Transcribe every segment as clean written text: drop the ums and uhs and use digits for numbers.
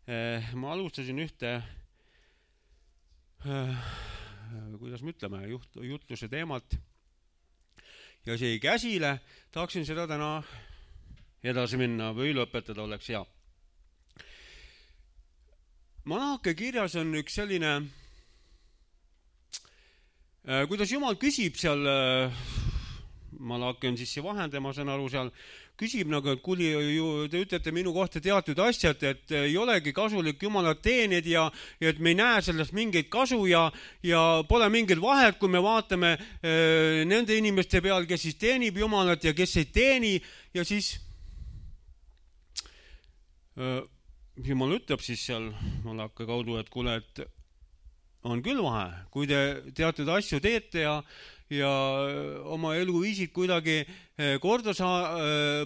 ma alustasin ühte, kuidas me ütleme, jutluse teemat ja see jäi käsile. Tahaksin seda täna edasi minna või lõpetada, oleks hea. Malachi kirjas on üks selline, kuidas Jumal küsib seal, Malachi on siis see vahendaja, ma saan aru, seal küsib nagu, et kuli, te ütlete minu kohta teatud asjad, et ei olegi kasulik Jumalat teenida ja et me ei näe sellest mingeid kasu ja pole mingit vahet, kui me vaatame nende inimeste peal, kes siis teenib Jumalat ja kes ei teeni. Ja siis Jumal ütleb siis seal Malachi kaudu, et kuule, et on küll vahe, kui te teatud asju teete ja oma eluviisid kuidagi korda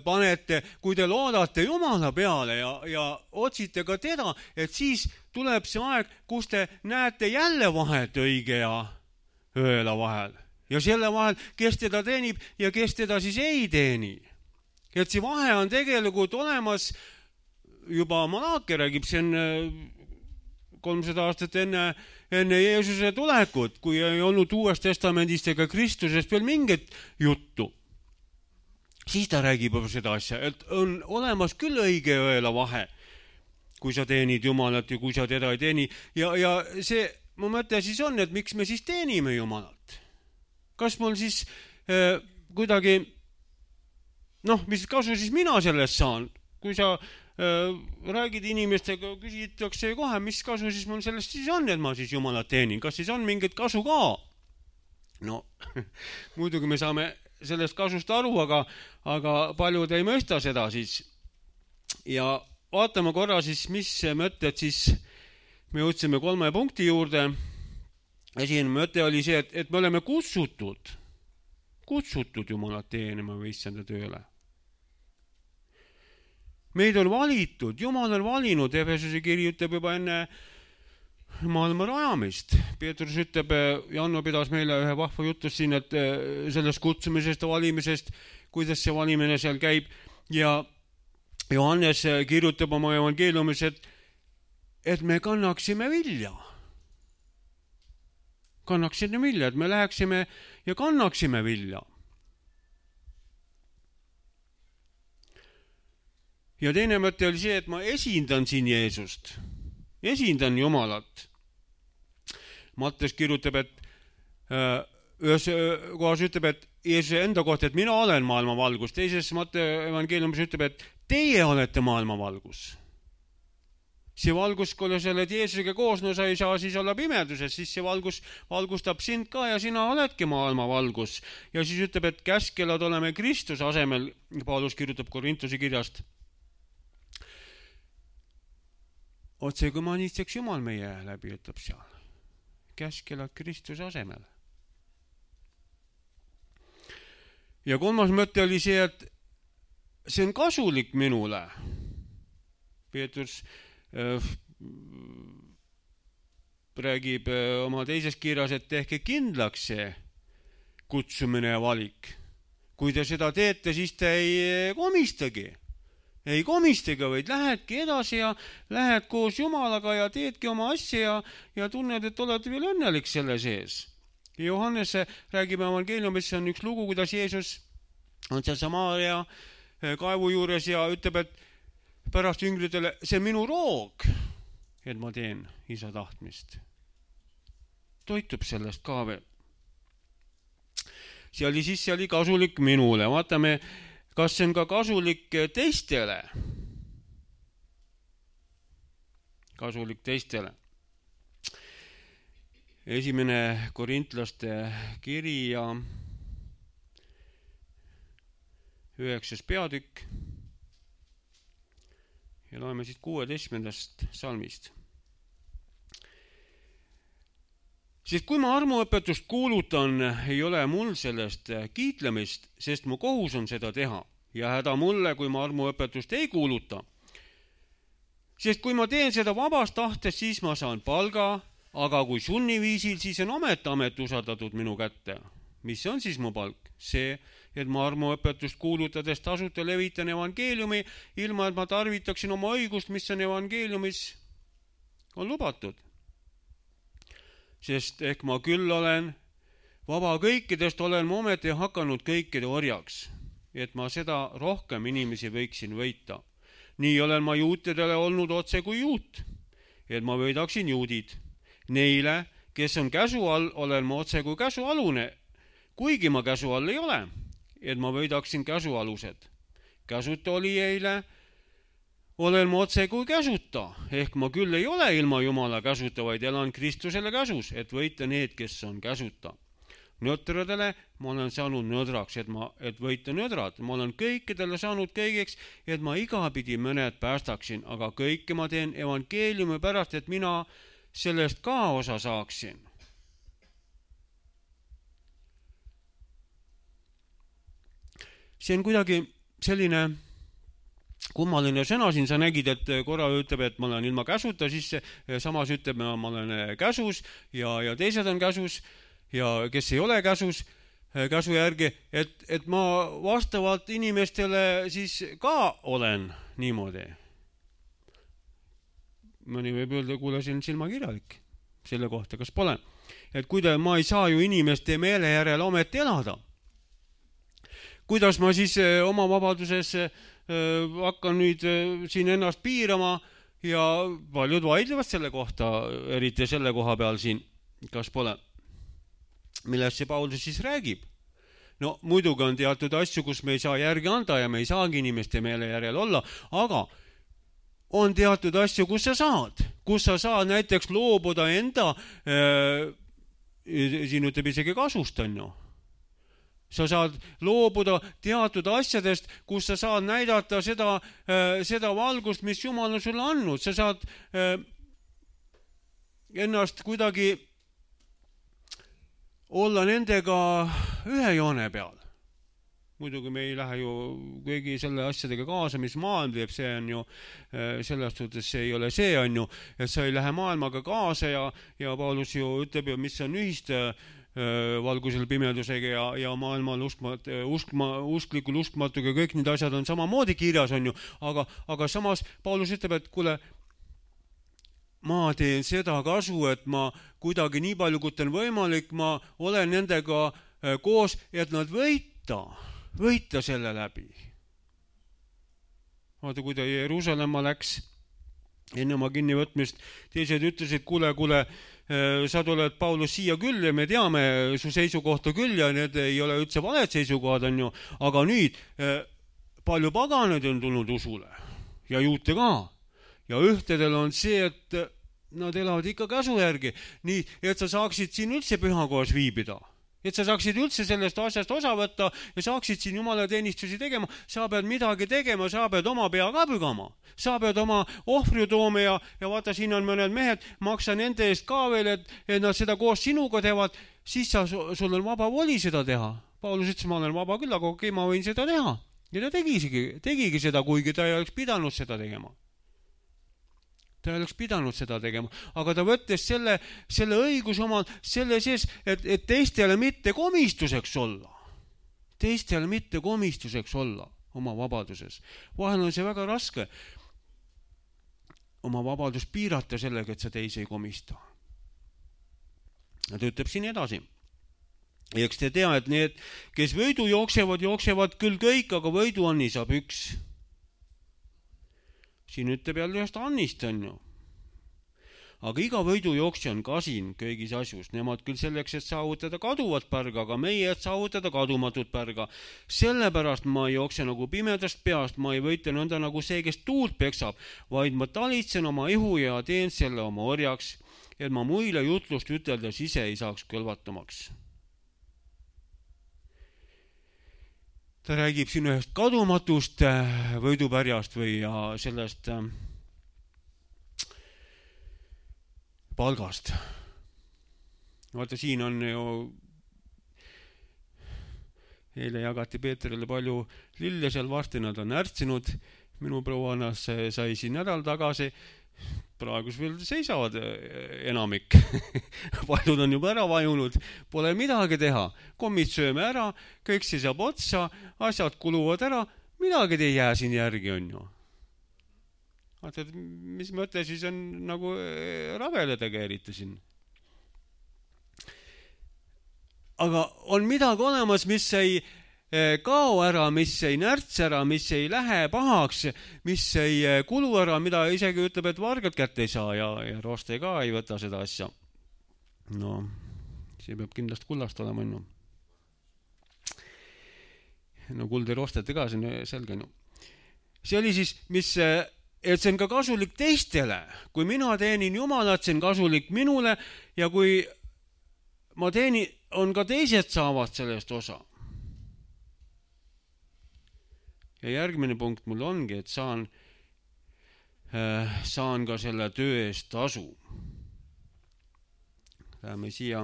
panete, kui te loodate Jumala peale ja otsite ka teda, et siis tuleb see aeg, kus te näete jälle vahet õige ja õela vahel. Ja selle vahel, kes teda teenib ja kes teda siis ei teeni. Et see vahe on tegelikult olemas, juba Malachi räägib, see on 300 aastat enne Jeesuse tulekut, kui ei olnud Uuest Testamendist ega Kristusest veel mingit juttu. Siis ta räägib seda asja, et on olemas küll õige ja õela vahe, kui sa teenid Jumalat ja kui sa teda ei teeni. Ja see, mu mõte siis on, et miks me siis teenime Jumalat? Kas mul siis kuidagi, mis kasu siis mina sellest saan? Kui sa räägid inimestega, küsitakse kohe, mis kasu siis mul sellest siis on, et ma siis Jumalat teenin. Kas siis on mingit kasu ka? Muidugi me saame sellest kasust aru, aga paljud ei mõista seda siis. Ja vaatame korra siis, mis mõtted siis me jõudsime 3 punkti juurde. Esimene mõte oli see, et me oleme kutsutud Jumalat teenima või issanda tööle. Meid on valitud, Jumal on valinud, Efesuse kiri ütleb juba enne maailma rajamist. Peetrus ütleb, Janno pidas meile ühe vahva jutus siin, et sellest kutsumisest ja valimisest, kuidas see valimine seal käib. Ja Johannes kirjutab oma evangeeliumis, et me kannaksime vilja. Et me läheksime ja kannaksime vilja. Ja teine mõte oli see, et ma esindan siin Jeesust. Esindan Jumalat. Mattes kirjutab, et ühes kohas ütleb, et Jeesuse enda kohta, et mina olen maailma valgus. Teises Matte evangeeliumis ütleb, et teie olete maailma valgus. See valgus, kui sa oled Jeesusega koos, sa ei saa siis olla pimeduses, siis see valgus valgustab sind ka ja sina oledki maailma valgus. Ja siis ütleb, et käskelad oleme Kristuse asemel, Paulus kirjutab Korintuse kirjast. Otse kui manitseks Jumal meie läbi, ütleb seal. Käskelad Kristuse asemel. Ja 3. mõte oli see, et see on kasulik minule. Peetrus räägib oma teises kirjas, et tehke kindlaks see kutsumine ja valik. Kui te seda teete, siis te ei komistagi. Ei komistagi, vaid lähedki edasi ja lähed koos Jumalaga ja teedki oma asja ja tunned, et oled veel õnnelik selle sees. Johannes räägib evangeeliumis, on üks lugu, kuidas Jeesus on seal Samaaria kaevu juures ja ütleb, et pärast jüngritele, see minu roog, et ma teen isa tahtmist. Toitub sellest ka veel. See oli kasulik minule. Vaatame, kas see on ka kasulik teistele. Kasulik teistele. Esimene Korintlaste kiri ja 9. peatükk. Ja loeme siit 16. salmist. Sest kui ma armuõpetust kuulutan, ei ole mul sellest kiitlemist, sest mu kohus on seda teha. Ja häda mulle, kui ma armuõpetust ei kuuluta. Sest kui ma teen seda vabast tahtest, siis ma saan palga, aga kui sunniviisil, siis on amet usaldatud minu kätte. Mis on siis mu palk? See, et ma armuõpetust kuulutades tasuta levitan evangeeliumi, ilma et ma tarvitaksin oma õigust, mis on evangeeliumis on lubatud. Sest ehk ma küll olen vaba kõikidest, olen ma ometi hakanud kõikide orjaks, et ma seda rohkem inimesi võiksin võita. Nii olen ma juutidele olnud otse kui juut, et ma võidaksin juudid. Neile, kes on käsu all, olen ma otse kui käsualune, kuigi ma käsu all ei ole, et ma võidaksin käsualused. Käsuta olijaile olen ma otse kui käsuta, ehk ma küll ei ole ilma Jumala käsuta, vaid elan Kristusele käsus, et võita need, kes on käsuta. Nõtradele ma olen saanud nõdraks, et võita nõdrad. Ma olen kõikidele saanud kõigeks, et ma igapidi mõned päästaksin, aga kõike ma teen evangeeliumi pärast, et mina sellest ka osa saaksin. See on kuidagi selline kummaline sõna siin, sa nägid, et korra ütleb, et ma olen ilma käsuta, siis samas ütleb, ma olen käsus ja teised on käsus ja kes ei ole käsu järgi, et ma vastavalt inimestele siis ka olen niimoodi. Mõni võib öelda, kuule, see on silmakirjalik selle kohta, kas pole. Et ma ei saa ju inimeste meele järel ometi elada. Kuidas ma siis oma vabaduses hakkan nüüd siin ennast piirama ja paljud vaidlevad selle kohta, eriti selle koha peal siin, kas pole. Millest see Paulus siis räägib? No muidugi on teatud asju, kus me ei saa järgi anda ja me ei saagi inimeste meele järel olla, aga on teatud asju, kus sa saad näiteks loobuda enda, siin ütleb isegi kasust, on ju. Sa saad loobuda teatud asjadest, kus sa saad näidata seda valgust, mis Jumal on sulle andnud. Sa saad ennast kuidagi olla nendega ühe joone peal. Muidugi me ei lähe ju kõigi selle asjadega kaasa, mis maailm teeb, see on ju, selles suhtes see ei ole see, on ju, et sa ei lähe maailmaga kaasa ja Paulus ju ütleb ju, mis on ühist valgusel pimedusega ja maailmal usklikul uskmatuga, kõik need asjad on samamoodi kirjas, on ju, aga samas Paulus ütleb, et kuule, ma teen seda kasu, et ma kuidagi nii palju, kui on võimalik, ma olen nendega koos, et nad võita selle läbi. Vaata, kui ta Jeruusalemma läks enne oma kinnivõtmist, teised ütlesid, kuule, sa tuled, Paulus, siia küll ja me teame su seisukohta küll ja need ei ole üldse valed seisukohad, on ju, aga nüüd palju paganeid on tulnud usule ja juute ka. Ja ühtedel on see, et nad elavad ikka käsu järgi, nii et sa saaksid siin üldse pühakohas viibida. Et sa saaksid üldse sellest asjast osa võtta ja saaksid siin Jumala teenistusi tegema, sa pead midagi tegema, sa pead oma pea ka pügama. Sa pead oma ohvri tooma ja vaata, siin on mõned mehed, maksa nende eest ka veel, et nad seda koos sinuga teevad, siis sul on vaba voli seda teha. Paulus ütles, ma olen vaba küll, aga okei, ma võin seda teha. Ja ta tegigi seda, kuigi ta ei oleks pidanud seda tegema. Ta ei oleks pidanud seda tegema, aga ta võttes selle õigus omal selle sees, et teistele mitte komistuseks olla. Teistele mitte komistuseks olla oma vabaduses. Vahel on see väga raske oma vabadust piirata sellega, et sa teisi ei komista. Ja ta ütleb siin edasi. Ja eks te tea, et need, kes võidu jooksevad küll kõik, aga võidu anni saab üks. Siin ütleb jälle ühest annist, on ju. Aga iga võidujooksja on kasin kõigis asjus. Nemad küll selleks, et saavutada kaduvat pärga, aga meie, et saavutada kadumatut pärga. Sellepärast ma ei jookse nagu pimedast peast, ma ei võita nõnda nagu see, kes tuult peksab, vaid ma talitsen oma ihu ja teen selle oma orjaks, et ma muile jutlust üteldes ise ei saaks kõlvatumaks. Ta räägib siin ühest kadumatust võidupärjast või sellest palgast. Vaata, siin on ju, eile jagati Peetrile palju lille seal, varsti nad on ärtsinud. Minu prouannas sai siin nädal tagasi. Praegus veel seisavad enamik. Paljud on juba ära vajunud. Pole midagi teha. Kommid sööme ära, kõik seisab otsa, asjad kuluvad ära. Midagi ei jää siin järgi, on ju. vaata, et mis mõte siis on nagu rabeledega eriti siin. Aga on midagi olemas, mis ei kao ära, mis ei närts ära, mis ei lähe pahaks, mis ei kulu ära, mida isegi ütleb, et vargad kätte ei saa ja roste ka ei võta seda asja. No, see peab kindlasti kullast olema, no. No kuld ei rosteta ka, see on selge, no. See oli siis, et see on ka kasulik teistele. Kui mina teenin Jumalat, see on kasulik minule ja kui ma teenin, on ka teised saavad sellest osa. Ja järgmine punkt mul ongi, et saan ka selle töö eest tasu. Läheme siia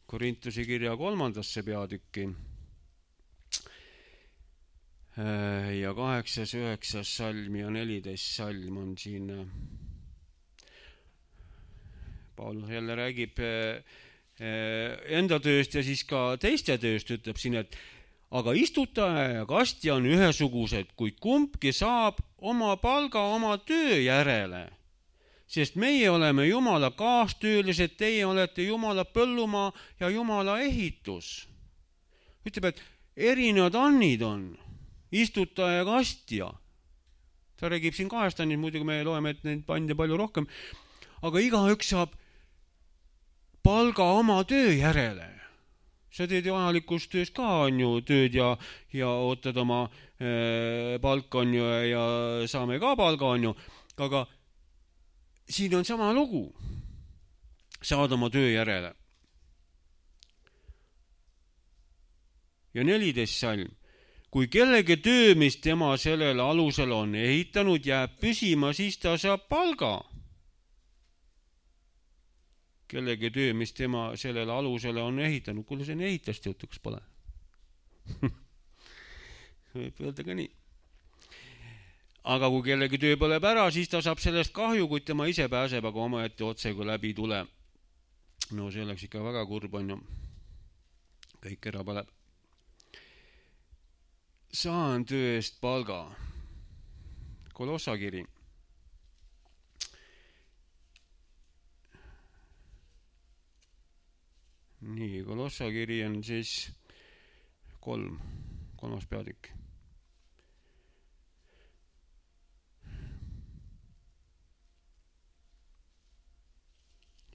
Korintuse kirja 3. peatükki. Ja 8., 9. salm ja 14. salm on siin. Paulus jälle räägib enda tööst ja siis ka teiste tööst, ütleb siin, et aga istutaja ja kastja on ühesugused, kuid kumbki saab oma palga oma töö järele. Sest meie oleme Jumala kaastöölised, teie olete Jumala põllumaa ja Jumala ehitus. Ütleb, et erinevad annid on. Istutaja ja kastja. Ta räägib siin 2 annid, muidugi me loeme, et neid pandi palju rohkem. Aga igaüks saab palga oma töö järele. Sa teed ju ajalikus töös ka on ju tööd ja ootad oma palka on ju ja saame ka palga on ju. Aga siin on sama lugu. Saad oma töö järele. Ja 14. salm. Kui kellegi töö, mis tema sellel alusel on ehitanud, jääb püsima, siis ta saab palga. Kellegi töö, mis tema sellel alusele on ehitanud. Kuule, see on ehitast jutuks pole. Võib öelda ka nii. Aga kui kellegi töö põleb ära, siis ta saab sellest kahju, kui tema ise pääseb, aga omaette otse kui läbi tule. No see oleks ikka väga kurb on ju. Kõik ära põleb. Saan töö eest palga. Kolossa kiri. Nii, Kolossa kiri on siis 3. peatükk.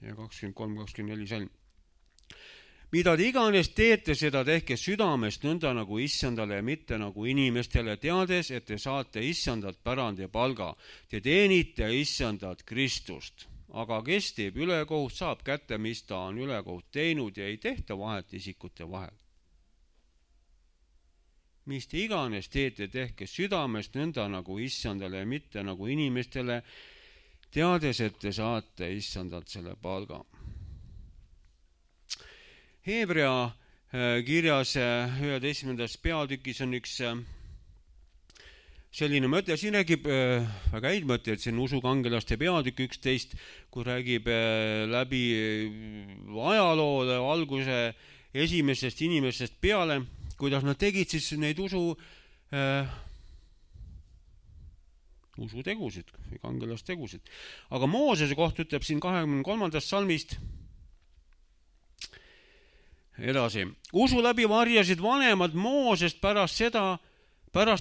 Ja 23-24 salm. Mida te iganes teete, seda tehke südamest nõnda nagu issandale ja mitte nagu inimestele, teades, et te saate issandalt pärand ja palga. Te teenite issandat Kristust. Aga kes teeb ülekohut, saab kätte, mis ta on ülekohut teinud ja ei tehta vahet isikute vahel. Mis te iganes teete, tehke südamest nõnda nagu issandale ja mitte nagu inimestele, teades, et te saate issandalt selle palga. Hebrea kirjas 11. peatükis on üks selline mõte, siin räägib väga häid mõte, et see on usukangelaste peatükk 11, kui räägib läbi ajaloole alguse esimesest inimestest peale, kuidas nad tegid siis neid usutegusid või kangelastegusid. Aga Moosese koht ütleb siin 23. salmist edasi. Usu läbi varjasid vanemad Moosest pärast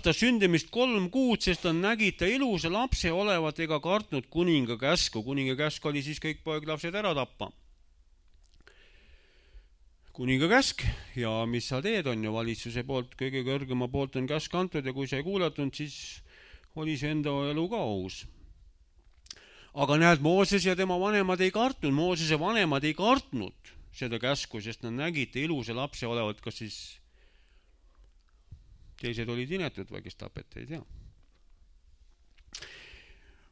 ta sündimist 3 kuud, sest ta nägi ta ilusa lapse olevat ega kartnud kuninga käsku. Kuninga käsk oli siis kõik poeglapsed ära tappa. Kuninga käsk ja mis sa teed on ju valitsuse poolt, kõige kõrgema poolt on käsk antud ja kui sa ei kuulatund, siis oli see enda elu ka ohus. Aga näed, Mooses ja tema vanemad ei kartnud. Moosese vanemad ei kartnud seda käsku, sest nad nägid ilusa lapse olevat, kas siis teised olid inetud või kes tapeti, ei tea.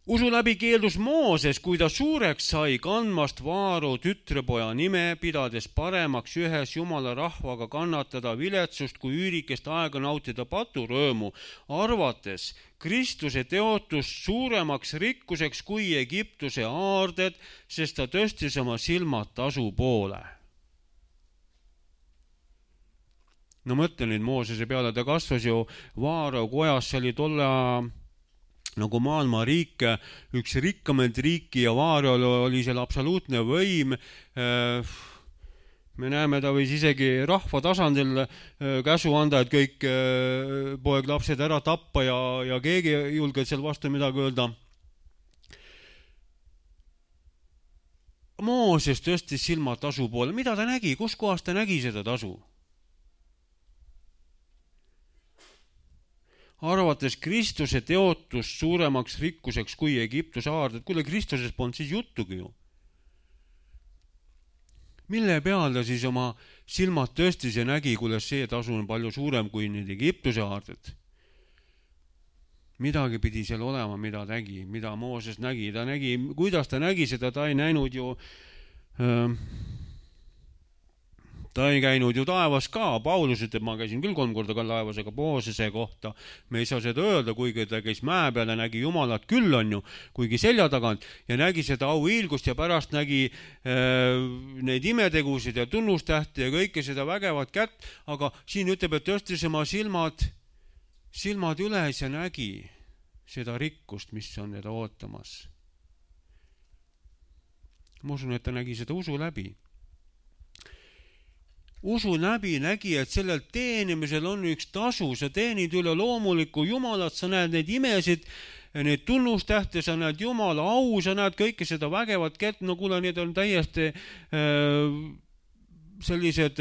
Usu läbi keeldus Mooses, kui ta suureks sai kandmast Vaaro tütrepoja nime, pidades paremaks ühes Jumala rahvaga kannatada viletsust kui üürikest aega nautida paturõõmu, arvates Kristuse teotust suuremaks rikkuseks kui Egiptuse aarded, sest ta tõstis oma silmad tasu poole. No mõtle nüüd Moosese peale, ta kasvas ju Vaaro kojas, see oli tolle nagu maailma riik, üks rikkamaid riiki ja Vaarjal oli seal absoluutne võim. Me näeme, ta võis isegi rahva tasandil käsu anda, et kõik poeglapsed ära tappa ja keegi ei julge seal vastu midagi öelda. Mooses tõstis silmad tasu poole. Mida ta nägi? Kus kohas ta nägi seda tasu? Arvates Kristuse teotust suuremaks rikkuseks kui Egiptuse aarded. Kuule, Kristuses polnud siis juttugi ju. Mille peal ta siis oma silmad tõstis ja nägi, kuule see tasu on palju suurem kui need Egiptuse aarded? Midagi pidi seal olema, mida nägi, mida Mooses nägi. Ta nägi, kuidas ta nägi seda, ta ei näinud ju, ta ei käinud ju taevas ka. Paulus ütleb, ma käisin küll 3 korda ka taevas, aga Moosese kohta me ei saa seda öelda, kuigi ta käis mäe peal ja nägi Jumalat küll on ju, kuigi selja tagant ja nägi seda auhiilgust ja pärast nägi neid imetegusid ja tunnustähti ja kõike seda vägevat kätt, aga siin ütleb, et tõstis oma silmad üles ja nägi seda rikkust, mis on teda ootamas. Ma usun, et ta nägi seda usu läbi. Usu läbi nägi, et sellel teenimisel on üks tasu. Sa teenid üle loomulikku Jumalat, sa näed neid imesid, neid tunnustähte, sa näed Jumala au, sa näed kõike seda vägevat kätt. No kuule, need on täiesti sellised,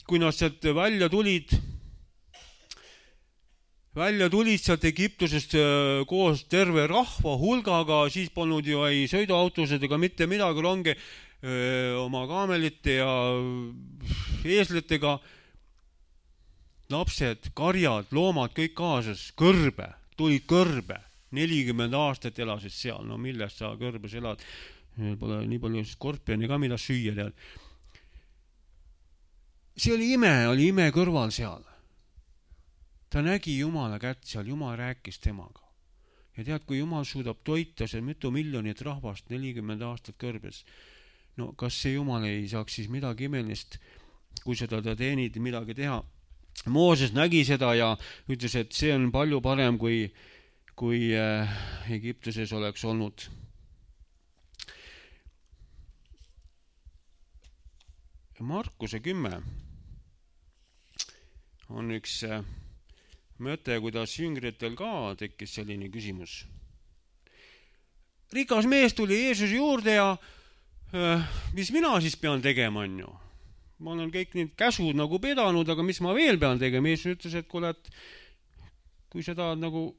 kui nad sealt välja tulid sealt Egiptusest koos terve rahva hulgaga, siis polnud ju ei sõiduautused ega mitte midagi, ronge oma kaamelite ja eeslitega. Lapsed, karjad, loomad, kõik kaasas, tulid kõrbe. 40 aastat elasid seal, no millest sa kõrbes elad? Pole nii palju skorpioni ka, mida süüa tead. See oli ime kõrval seal. Ta nägi Jumala kätt seal, Jumal rääkis temaga. Ja tead, kui Jumal suudab toita see mitu miljonit rahvast 40 aastat kõrbes, no kas see Jumal ei saaks siis midagi imelist, kui seda ta teenid midagi teha? Mooses nägi seda ja ütles, et see on palju parem, kui Egiptuses oleks olnud. Markuse 10 on üks mõte, kuidas jüngritel ka tekkis selline küsimus. Rikas mees tuli Jeesuse juurde ja mis mina siis pean tegema, on ju? Ma olen kõik need käsud nagu pedanud, aga mis ma veel pean tegema? Jeesus ütles, et kuule, et kui sa tahad nagu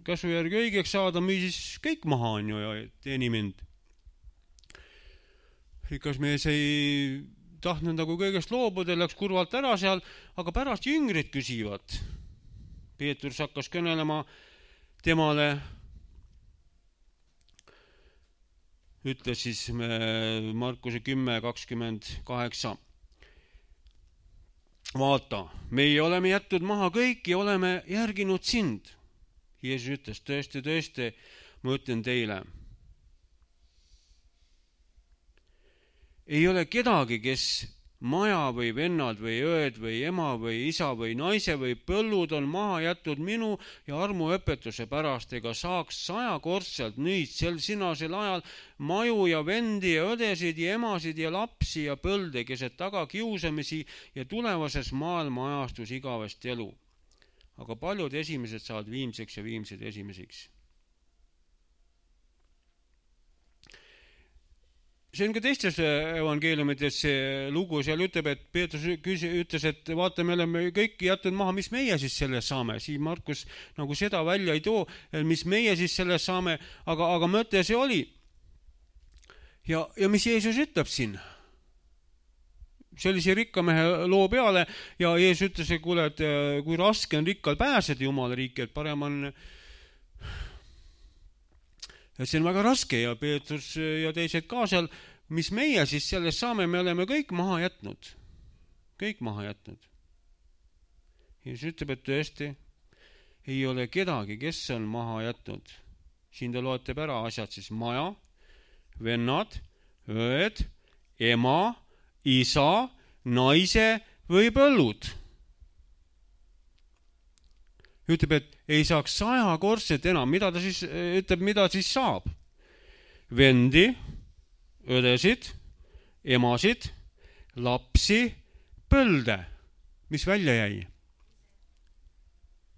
käsu järgi õigeks saada, müü siis kõik maha, on ju, ja teeni mind. Rikas mees ei tahtnud nagu kõigest loobuda, läks kurvalt ära seal, aga pärast jüngrid küsivad. Peetrus hakkas kõnelema temale, ütles siis Markuse 10:28. Vaata, meie oleme jätnud maha kõik ja oleme järginud sind. Jeesus ütles, tõesti, ma ütlen teile. Ei ole kedagi, kes maja või vennad või õed või ema või isa või naise või põllud on maha jätnud minu ja armuõpetuse pärast, ega saaks 100-kordselt nüüd sinasel ajal maju ja vendi ja õdesid ja emasid ja lapsi ja põlde, keset taga kiusamisi ja tulevases maailma ajastus igavest elu. Aga paljud esimesed saavad viimseks ja viimsed esimeseks. See on ka teistes evangeeliumites see lugu, seal ütleb, et Peetrus ütles, et vaata, me oleme kõik jätnud maha, mis meie siis sellest saame. Siin Markus nagu seda välja ei too, mis meie siis sellest saame, aga mõte see oli. Ja mis Jeesus ütleb siin? See oli see rikkamehe loo peale ja Jeesus ütles, et kuule, et kui raske on rikkal pääseda Jumala riiki, et parem on... Et see on väga raske ja Peetrus ja teised ka seal, mis meie siis sellest saame, me oleme kõik maha jätnud. Kõik maha jätnud. Jeesus ütleb, et tõesti ei ole kedagi, kes on maha jätnud. Siin ta loetab ära asjad siis maja, vennad, õed, ema, isa, naise või põllud. ütleb, et ei saaks 100-korset enam. Mida ta siis ütleb, mida siis saab? Vendi, õdesid, emasid, lapsi, põlde. Mis välja jäi?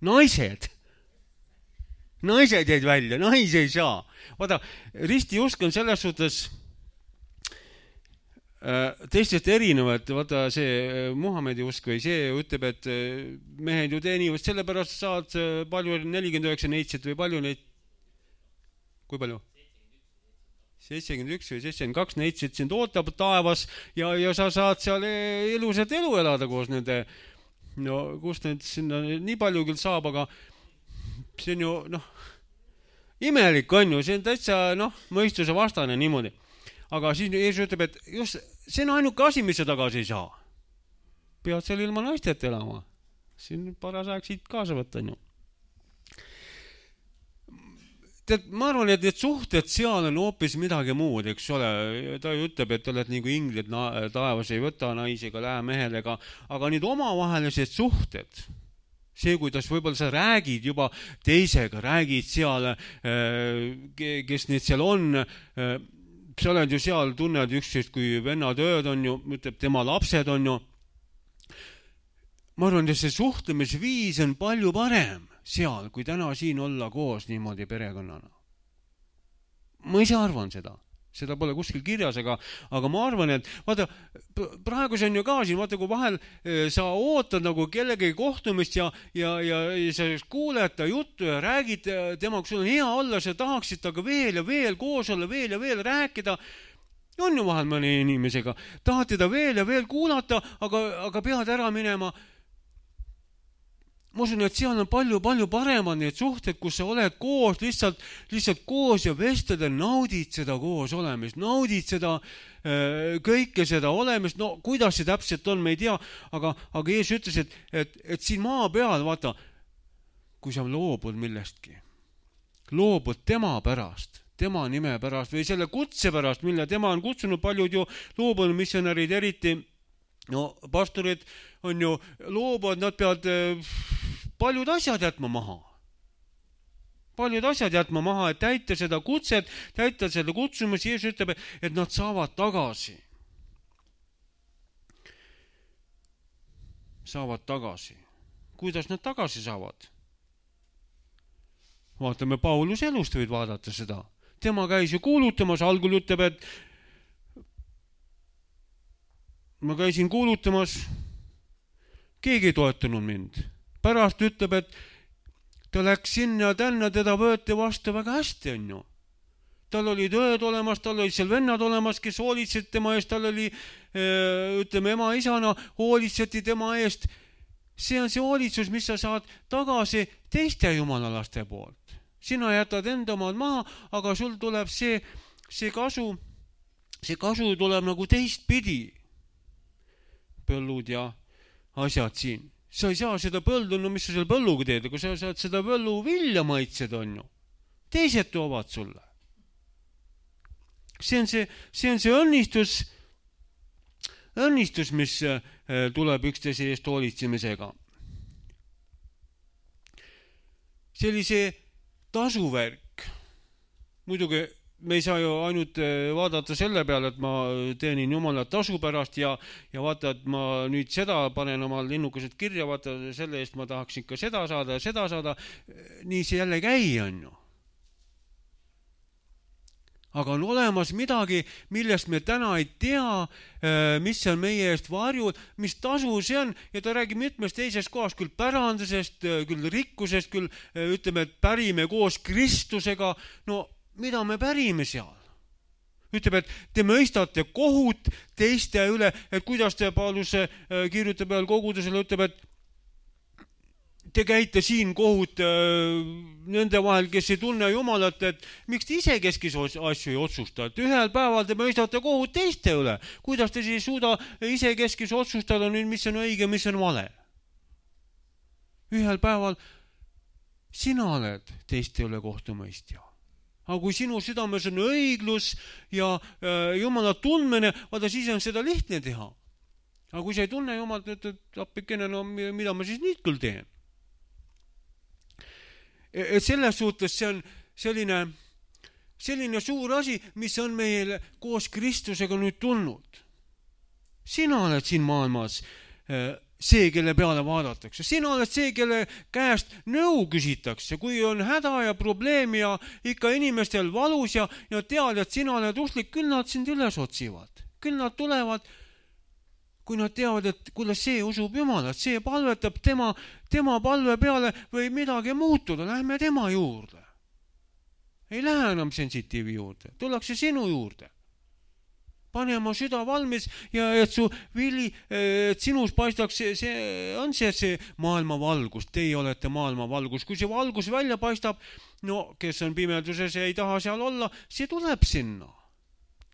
Naised. Naised jäid välja, naisi ei saa. Vaata, ristiusk on selles suhtes teistest erinevad. Vaata, see Muhamedi usk või see ütleb, et mehed ju teenivad, sellepärast saad palju 49 neitsit või palju neid, kui palju? 71 või 72 neitsit sind ootab taevas ja sa saad seal ilusat elu elada koos nende, no kust need sinna nii palju küll saab, aga see on ju, imelik on ju, see on täitsa, mõistuse vastane niimoodi. Aga siis Jeesus ütleb, et just see on ainuke asi, mis sa tagasi ei saa. Pead seal ilma naistet elama. Siin paras aeg siit kaasa võtta, on ju. Tead, ma arvan, et need suhted seal on hoopis midagi muud, eks ole. Ta ju ütleb, et oled nagu inglid taevas, ei võta naisi ega lähe mehelega, aga need omavahelised suhted, see, kuidas võib-olla sa räägid juba teisega, räägid seal, kes need seal on, sa oled ju seal, tunned üksteist kui vennad ööd on ju, ütleb tema lapsed on ju. Ma arvan, et see suhtlemisviis on palju parem seal, kui täna siin olla koos niimoodi perekonnana. Ma ise arvan seda. Seda pole kuskil kirjas, aga ma arvan, et vaata, praegu see on ju ka siin, vaata, kui vahel sa ootad nagu kellegi kohtumist ja sa kuuled ta juttu ja räägid temaga, sul on hea olla, sa tahaksid taga veel ja veel koos olla, veel ja veel rääkida. On ju vahel mõne inimesega. Tahad teda veel ja veel kuulata, aga pead ära minema. Ma usun, et seal on palju paremad need suhted, kus sa oled koos, lihtsalt koos ja vestled ja naudid seda koos olemist, naudid seda, kõike seda olemist, no kuidas see täpselt on, me ei tea, aga Jeesus ütles, et siin maa peal, vaata, kui sa loobud millestki, loobud tema pärast, tema nime pärast või selle kutse pärast, mille tema on kutsunud, paljud ju loobunud missionärid eriti, no pastorid on ju loobuvad, nad peavad paljud asjad jätma maha. Paljud asjad jätma maha, et täita seda kutset, täita seda kutsumist. Jeesus ütleb, et nad saavad tagasi. Saavad tagasi. Kuidas nad tagasi saavad? Vaatame Pauluse elust, võid vaadata seda. Tema käis ju kuulutamas, algul ütleb, et ma käisin kuulutamas, keegi ei toetanud mind. Pärast ütleb, et ta läks sinna ja tänna, teda võeti vastu väga hästi, on ju. Tal olid õed olemas, tal olid seal vennad olemas, kes hoolitsid tema eest, tal oli, ütleme, ema isana hoolitseti tema eest. See on see hoolitsus, mis sa saad tagasi teiste jumalalaste poolt. Sina jätad enda omad maha, aga sul tuleb see kasu tuleb nagu teistpidi. Põllud ja asjad siin. Sa ei saa seda põldu, no mis sa selle põlluga teed, kui sa saad seda põllu vilja maitsed, on ju. Teised toovad sulle. See on see õnnistus, mis tuleb üksteise eest hoolitsemisega. Sellise tasuvärk. Muidugi me ei saa ju ainult vaadata selle peale, et ma teenin Jumala tasu pärast ja vaata, et ma nüüd seda panen oma linnukesed kirja, vaata, selle eest ma tahaks ikka seda saada. Nii see jälle käi on ju. Aga on olemas midagi, millest me täna ei tea, mis on meie eest varjud, mis tasu see on, ja ta räägib mitmest teisest kohast, küll pärandusest, küll rikkusest, küll ütleme, et pärime koos Kristusega, no mida me pärime seal? Ütleb, et te mõistate kohut teiste üle, et kuidas te Paulus kirjutab veel kogudusele, ütleb, et te käite siin kohut nende vahel, kes ei tunne Jumalat, et miks te ise keskis asju ei otsusta, et ühel päeval te mõistate kohut teiste üle. Kuidas te siis suuda ise keskis otsustada nüüd, mis on õige, mis on vale? Ühel päeval sina oled teiste üle kohtumõistja. Aga kui sinu südames on õiglus ja Jumala tundmine, vaata siis on seda lihtne teha. Aga kui sa ei tunne Jumalat, et appikene, no mida ma siis nüüd küll teen? Et selles suhtes see on selline suur asi, mis on meile koos Kristusega nüüd tulnud. Sina oled siin maailmas see, kelle peale vaadatakse. Sina oled see, kelle käest nõu küsitakse. Kui on häda ja probleem ja ikka inimestel valus ja tead, et sina oled usklik, küll nad sind üles otsivad. Küll nad tulevad, kui nad teavad, et kuidas see usub Jumalat, see palvetab tema palve peale või midagi muutuda, lähme tema juurde. Ei lähe enam sensitiivi juurde, tullakse sinu juurde. Pane oma süda valmis ja et su vili, et sinus paistaks, see on see maailma valgus. Teie olete maailma valgus. Kui see valgus välja paistab, no kes on pimeduses ja ei taha seal olla, see tuleb sinna.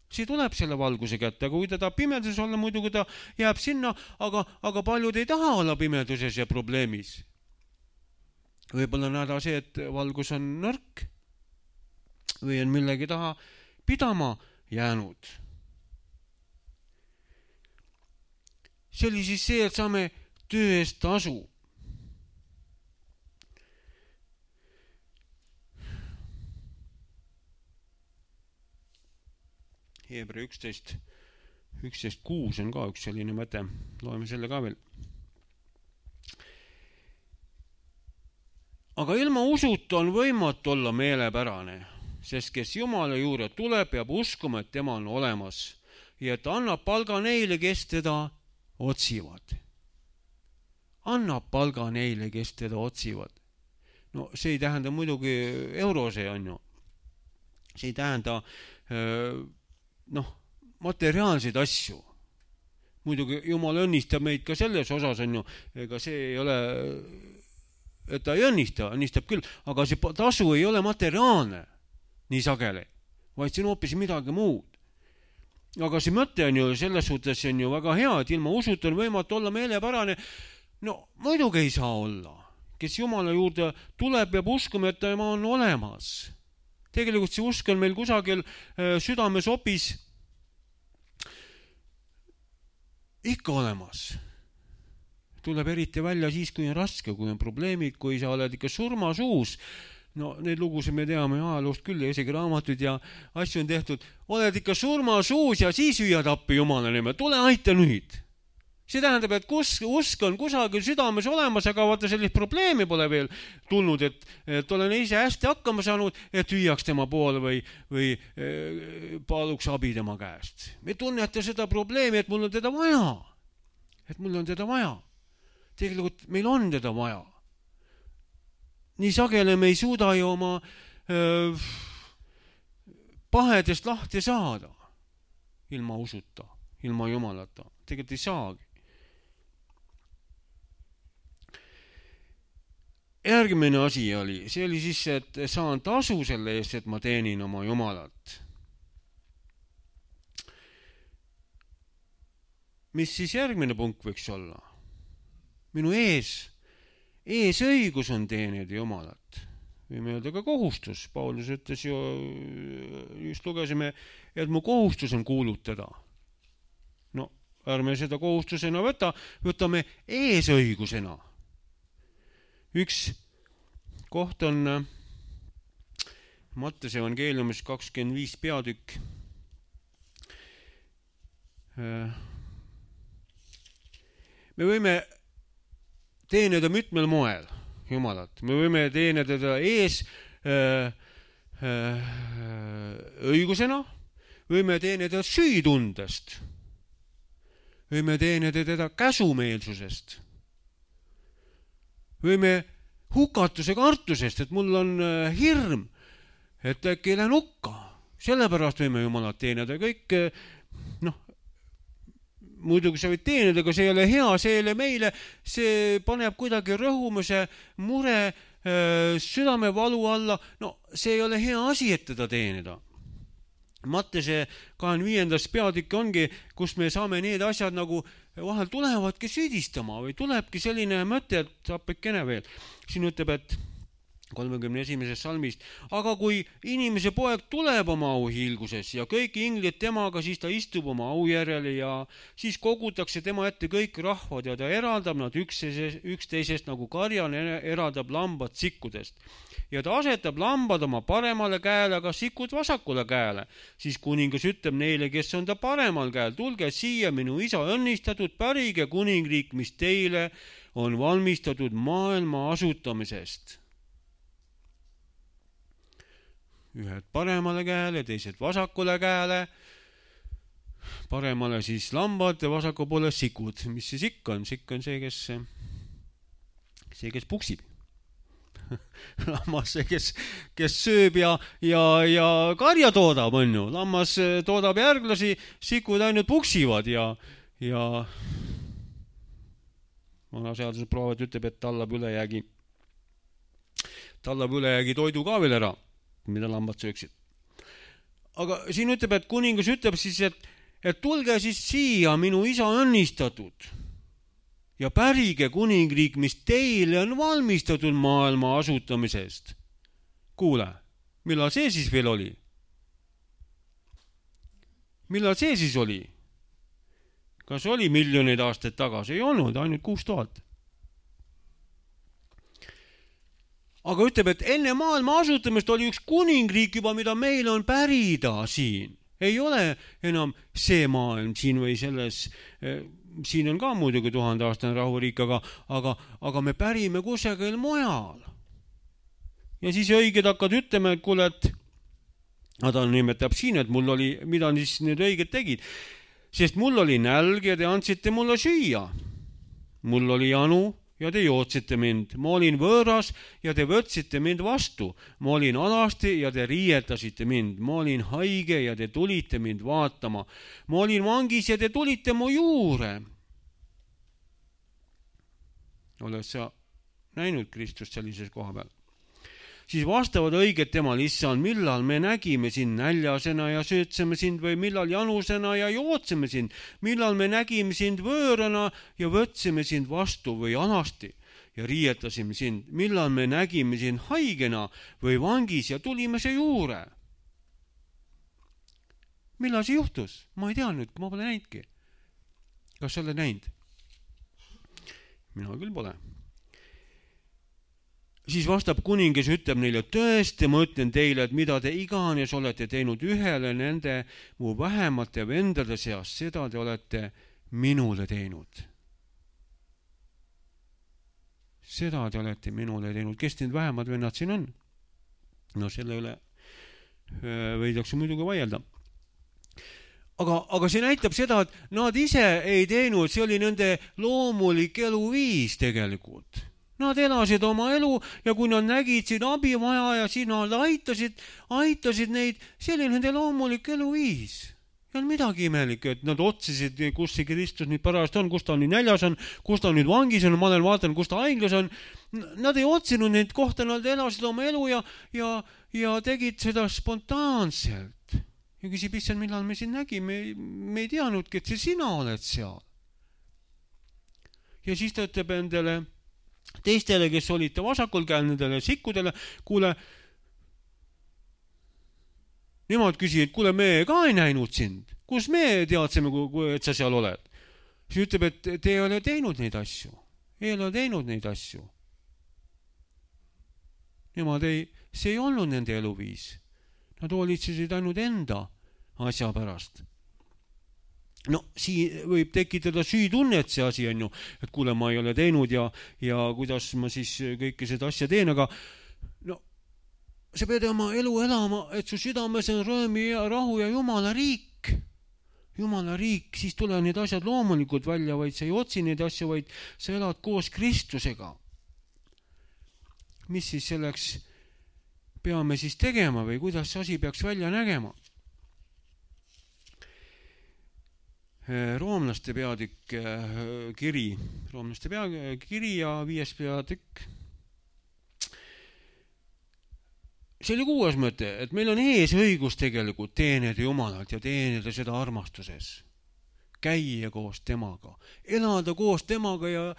See tuleb selle valguse kätte, aga kui ta tahab pimeduses olla, muidugi ta jääb sinna, aga paljud ei taha olla pimeduses ja probleemis. Võib-olla näeda see, et valgus on nõrk või on millegi taha pidama jäänud. See oli siis see, et saame töö eest tasu. Heebra 11:6 on ka üks selline mõte. Loeme selle ka veel. Aga ilma usuta on võimatu olla meelepärane, sest kes Jumala juurde tuleb, peab uskuma, et tema on olemas ja et annab palga neile, kes teda otsivad. Annab palga neile, kes teda otsivad. No see ei tähenda muidugi eurose, on ju. See ei tähenda materiaalseid asju. Muidugi Jumal õnnistab meid ka selles osas, on ju. Ega see ei ole, et ta ei õnnistab küll, aga see tasu ei ole materiaalne nii sageli, vaid see on hoopis midagi muud. Aga see mõte on ju selles suhtes on ju väga hea, et ilma usuta on võimatu olla meelepärane. No muidugi ei saa olla. Kes Jumala juurde tuleb, peab uskuma, et tema on olemas. Tegelikult see usk on meil kusagil südames opis ikka olemas. Tuleb eriti välja siis, kui on raske, kui on probleemid, kui sa oled ikka surmasuus. No need lugusid me teame ajaloost küll ja isegi raamatud ja asju on tehtud. Oled ikka surmasuus ja siis hüüad appi Jumala nimel. Tule aita nüüd. See tähendab, et usk on kusagil südames olemas, aga vaata sellist probleemi pole veel tulnud, et olen ise hästi hakkama saanud, et hüüaks tema poole või paluks abi tema käest. Me tunnete seda probleemi, et mul on teda vaja. Et mul on teda vaja. Tegelikult meil on teda vaja. Nii sageli me ei suuda ju oma pahedest lahti saada ilma usuta, ilma Jumalata. Tegelikult ei saagi. Järgmine asi oli, see oli siis, et saan tasu selle eest, et ma teenin oma Jumalat. Mis siis järgmine punkt võiks olla? Minu eesõigus on teenida Jumalat. Võime öelda ka kohustus. Paulus ütles ju, just lugesime, et mu kohustus on kuulutada. No, ärme seda kohustusena võtame eesõigusena. Üks koht on Mattuse evangeeliumis 25 peatükk. Me võime teenida mitmel moel Jumalat. Me võime teenida teda õigusena, võime teenida süütundest, võime teenida teda käsumeelsusest, võime hukatuse kartusest, et mul on hirm, et äkki ei lähe hukka. Sellepärast võime Jumalat teenida. Kõik, muidugi sa võid teenida, aga see ei ole hea, see ei ole meile, see paneb kuidagi rõhumise mure südamevalu alla. No see ei ole hea asi, et teda teenida. Mattuse 25. peatükk ongi, kus me saame need asjad nagu vahel tulevadki süüdistama või tulebki selline mõte, et apekene veel. Siin ütleb, et 31. salmist. Aga kui inimese poeg tuleb oma auhiilguses ja kõik inglid temaga, siis ta istub oma aujärjele ja siis kogutakse tema ette kõik rahvad ja ta eraldab nad üksteisest nagu karjan eraldab lambad sikkudest. Ja ta asetab lambad oma paremale käele, aga sikud vasakule käele. Siis kuningas ütleb neile, kes on ta paremal käel, tulge siia, minu isa õnnistatud, pärige kuningriik, mis teile on valmistatud maailma asutamisest. Ühed paremale käele, teised vasakule käele. Paremale siis lambad ja vasaku poole sikud. Mis see sikk on? Sikk on see, kes puksib. Lammas see, kes sööb ja karja toodab, on ju. Lammas toodab järglasi, sikud ainult puksivad ja vanaseaduse proovad ütleb, et tallab ülejäägi toidu ka veel ära, mida lambad sööksid. Aga siin ütleb, et kuningas ütleb siis, et tulge siis siia, minu isa õnnistatud ja pärige kuningriik, mis teile on valmistatud maailma asutamisest. Kuule, millal see siis veel oli? Millal see siis oli? Kas oli miljoneid aastaid tagasi? Ei olnud, ainult 6000. Aga ütleb, et enne maailma asutamist oli üks kuningriik juba, mida meil on pärida siin. Ei ole enam see maailm siin või selles, siin on ka muidugi 1000-aastane rahuriik, aga me pärime kusagil mujal. Ja siis õiged hakkad ütlema, et kuule, et ta nimetab siin, et mul oli, mida siis need õiged tegid. Sest mul oli nälg ja te andsite mulle süüa. Mul oli janu ja te jootsite mind. Ma olin võõras ja te võtsite mind vastu. Ma olin alasti ja te riietasite mind. Ma olin haige ja te tulite mind vaatama. Ma olin vangis ja te tulite mu juure. Oled sa näinud Kristust sellises koha peal? Siis vastavad õiged temal, issand, millal me nägime sind näljasena ja söötseme sind või millal janusena ja jootseme sind, millal me nägime sind võõrana ja võtsime sind vastu või alasti ja riietasime sind, millal me nägime sind haigena või vangis ja tulime see juure. Millal see juhtus? Ma ei tea nüüd, ma pole näinudki. Kas sa oled näinud? Mina küll pole. Siis vastab kuningas, ütleb neile, tõesti, ma ütlen teile, et mida te iganes olete teinud ühele nende mu vähemate vendade seas, seda te olete minule teinud. Seda te olete minule teinud. Kes need vähemad vennad siin on? No selle üle võidakse muidugi vaielda. Aga see näitab seda, et nad ise ei teinud, see oli nende loomulik eluviis tegelikult. Nad elasid oma elu ja kui nad nägid siin abi vaja ja siin nad aitasid neid, see oli nende loomulik eluviis. Ja on midagi imelik, et nad otsisid, kus see Kristus nüüd pärast on, kus ta nüüd näljas on, kus ta nüüd vangis on, ma olen vaatan, kus ta haiglas on. Nad ei otsinud neid kohta, nad elasid oma elu ja tegid seda spontaanselt. Ja küsib, issand, millal me siin nägime, me ei teadnudki, et see sina oled seal. Ja siis ta ütleb endale teistele, kes olite vasakul käel, nendele sikkudele, kuule, nemad küsivad, kuule, me ka ei näinud sind. Kus me teadsime, et sa seal oled? Siis ütleb, et te ei ole teinud neid asju. Ei ole teinud neid asju. See ei olnud nende eluviis. Nad hoolitsesid ainult enda asja pärast. No, siin võib tekitada süütunnet see asi, on ju, et kuule, ma ei ole teinud ja kuidas ma siis kõike seda asja teen, aga no, sa pead oma elu elama, et su südames on rõõmi ja rahu ja Jumala riik. Jumala riik, siis tule need asjad loomulikult välja, vaid sa ei otsi neid asju, vaid sa elad koos Kristusega. Mis siis selleks peame siis tegema või kuidas see asi peaks välja nägema? Roomlaste peatükk kiri ja 5. peatükk. See oli 6. mõte, et meil on ees õigus tegelikult teenida Jumalalt ja teenida seda armastuses. Käia koos temaga, elada koos temaga ja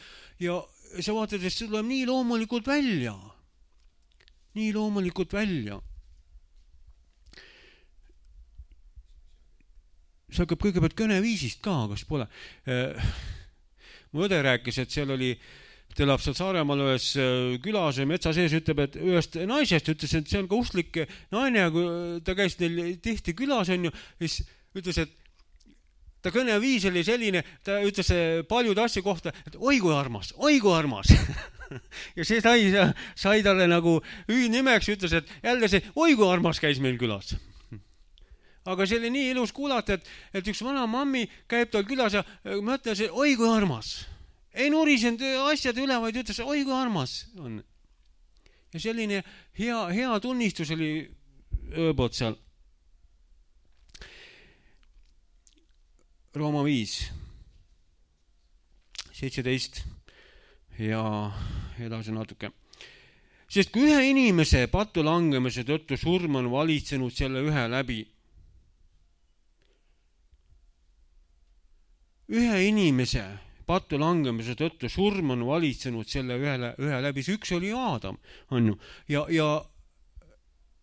sa vaatad, et see tuleb nii loomulikult välja. nii loomulikult välja. See hakkab kõigepealt kõneviisist ka, kas pole. Mu õde rääkis, et seal oli, ta elab seal Saaremaal ühes külas ja metsa sees, ütleb, et ühest naisest ütles, et see on ka usklik naine, ja kui ta käis neil tihti külas, on ju, siis ütles, et ta kõneviis oli selline, ta ütles paljude asja kohta, et oi kui armas, oi kui armas. Ja see sai talle nagu hüüdnimeks, ütles, et jälle see oi kui armas käis meil külas. Aga see oli nii ilus kuulata, et üks vana mammi käib tal külas ja mõtles, et oi kui armas. Ei nurisenud asjade üle, vaid ütles, oi kui armas on. Ja selline hea tunnistus oli ööbot seal. Rooma 5, 17 ja edasi natuke. Sest kui ühe inimese pattu langemise tõttu surm on valitsenud selle ühe läbi, ühe inimese pattu langemise tõttu surm on valitsenud selle ühe läbi, see üks oli Aadam, on ju, ja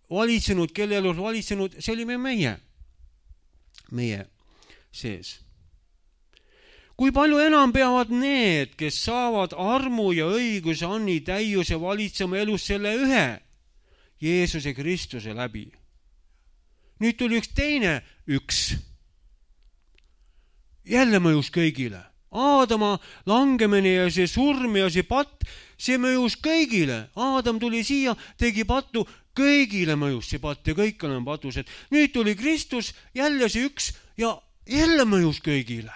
valitsenud, kelle elus valitsenud, see olime meie sees. Kui palju enam peavad need, kes saavad armu ja õiguse anni täiuse valitsema elus selle ühe Jeesuse Kristuse läbi. Nüüd tuli üks teine jälle mõjus kõigile. Aadama langemine ja see surm ja see patt, see mõjus kõigile. Aadam tuli siia, tegi pattu, kõigile mõjus see patt ja kõik on patused. Nüüd tuli Kristus, jälle see üks ja jälle mõjus kõigile.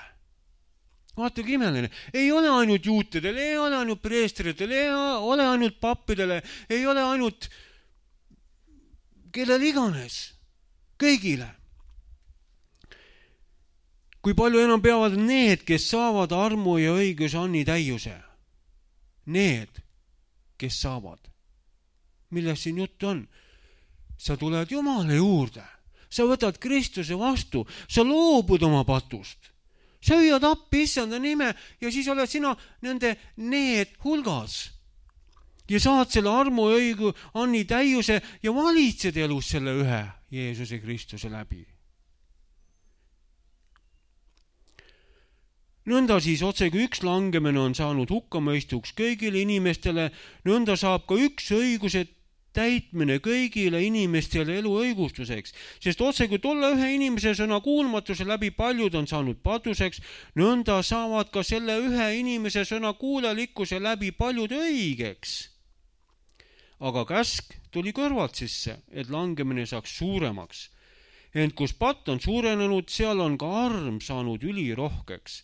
Vaata kui imeline. Ei ole ainult juutidel, ei ole ainult preestritele, ei ole ainult pappidele, ei ole ainult kellel iganes. Kõigile. Kui palju enam peavad need, kes saavad armu ja õiguse anni täiuse. Need, kes saavad. Millest siin jutt on? Sa tuled Jumala juurde. Sa võtad Kristuse vastu. Sa loobud oma patust. Sa hüüad appi issanda nime ja siis oled sina need hulgas. Ja saad selle armu ja õigu anni täiuse ja valitsed elus selle ühe Jeesuse Kristuse läbi. Nõnda siis otse kui üks langemine on saanud hukkamõistuks kõigile inimestele, nõnda saab ka üks õiguse täitmine kõigile inimestele elu õigustuseks. Sest otse kui tolle ühe inimese sõna kuulmatuse läbi paljud on saanud patuseks, nõnda saavad ka selle ühe inimese sõna kuulelikkuse läbi paljud õigeks. Aga käsk tuli kõrvalt sisse, et langemine saaks suuremaks. Ent kus patt on suurenenud, seal on ka arm saanud ülirohkeks.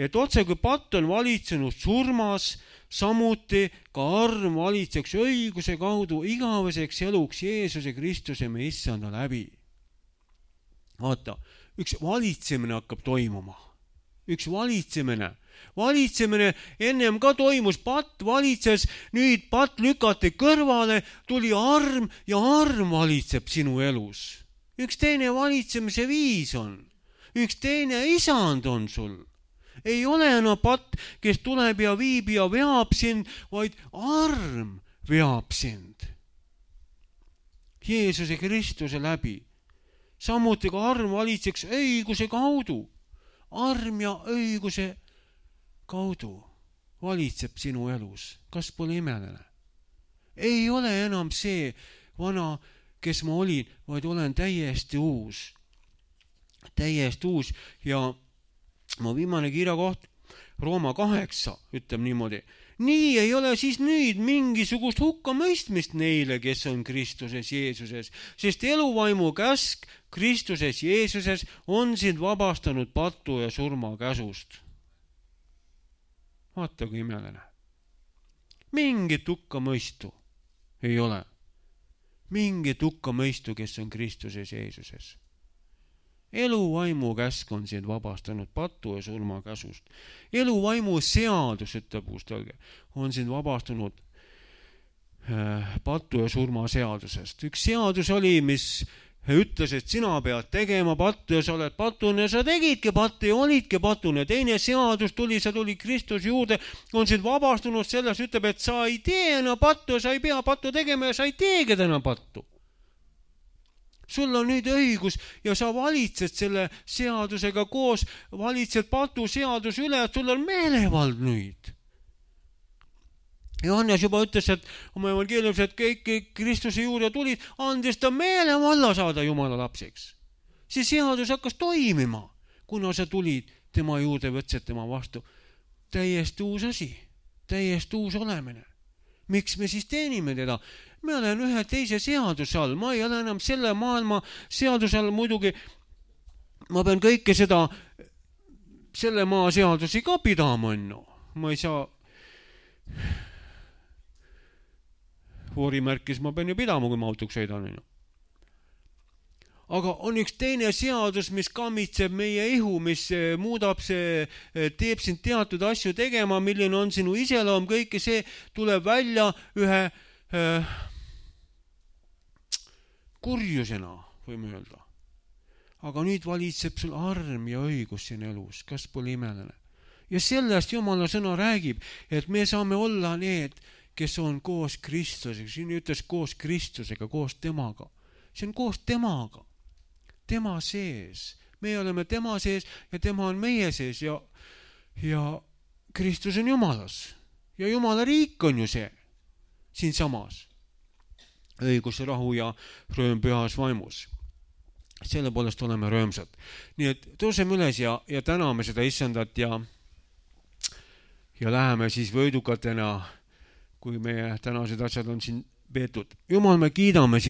Et otse kui patt on valitsenud surmas, samuti ka arm valitseks õiguse kaudu igaveseks eluks Jeesuse Kristuse me issanda läbi. Vaata, üks valitsemine hakkab toimuma. Üks valitsemine. Valitsemine ennem ka toimus, patt valitses, nüüd patt lükati kõrvale, tuli arm ja arm valitseb sinu elus. Üks teine valitsemise viis on. Üks teine isand on sul. Ei ole enam patt, kes tuleb ja viib ja veab sind, vaid arm veab sind. Jeesuse Kristuse läbi. Samuti ka arm valitseks õiguse kaudu. Arm ja õiguse kaudu valitseb sinu elus. Kas pole imeline? Ei ole enam see vana, kes ma olin, vaid olen täiesti uus. Täiesti uus ja mu viimane kirjakoht, Rooma 8, ütleb niimoodi. Nii ei ole siis nüüd mingisugust hukkamõistmist neile, kes on Kristuses Jeesuses, sest eluvaimu käsk Kristuses Jeesuses on sind vabastanud pattu ja surma käsust. Vaata kui imeline. Mingit hukkamõistu ei ole. Mingit hukkamõistu, kes on Kristuses Jeesuses. Eluvaimu käsk on sind vabastanud pattu ja surma käsust. Eluvaimu seadus, ütleb Uustalge, on sind vabastanud pattu ja surma seadusest. Üks seadus oli, mis ütles, et sina pead tegema pattu ja sa oled patune, sa tegidki pattu ja olidki patune. Teine seadus tuli, sa tuli Kristus juurde, on sind vabastunud sellest, ütleb, et sa ei tee enam pattu, sa ei pea pattu tegema ja sa ei teegi enam pattu. Sul on nüüd õigus ja sa valitsed selle seadusega koos, valitsed patu seadus üle, et sul on meelevald nüüd. Johannes juba ütles, et oma evangeeliumis, et kõik Kristuse juurde tulid, andis ta meelevalla saada Jumala lapseks. See seadus hakkas toimima, kuna sa tulid tema juurde, võtsid tema vastu. Täiesti uus asi, täiesti uus olemine. Miks me siis teenime teda? Me olen ühe teise seaduse all, ma ei ole enam selle maailma seaduse all, muidugi ma pean kõike seda, selle maa seadusi ka pidama, ma ei saa voorimärkis ma pean ju pidama, kui ma autoks sõidan. Aga on üks teine seadus, mis kammitseb meie ihu, mis muudab see, teeb sind teatud asju tegema, milline on sinu iseloom, kõike see tuleb välja ühe kurjusena, võime öelda. Aga nüüd valitseb sul arm ja õigus siin elus, kas pole imeline. Ja sellest Jumala sõna räägib, et me saame olla need, kes on koos Kristusega. Siin ütles koos Kristusega, koos temaga. See on koos temaga. Tema sees. Me oleme tema sees ja tema on meie sees ja Kristus on Jumalas. Ja Jumala riik on ju see siin samas. Õigus, rahu ja rõõm pühas vaimus. Selle poolest oleme rõõmsad. Nii et tõuseme üles ja täname seda Issandat ja läheme siis võidukatena, kui meie tänased asjad on siin peetud. Jumal, me kiidame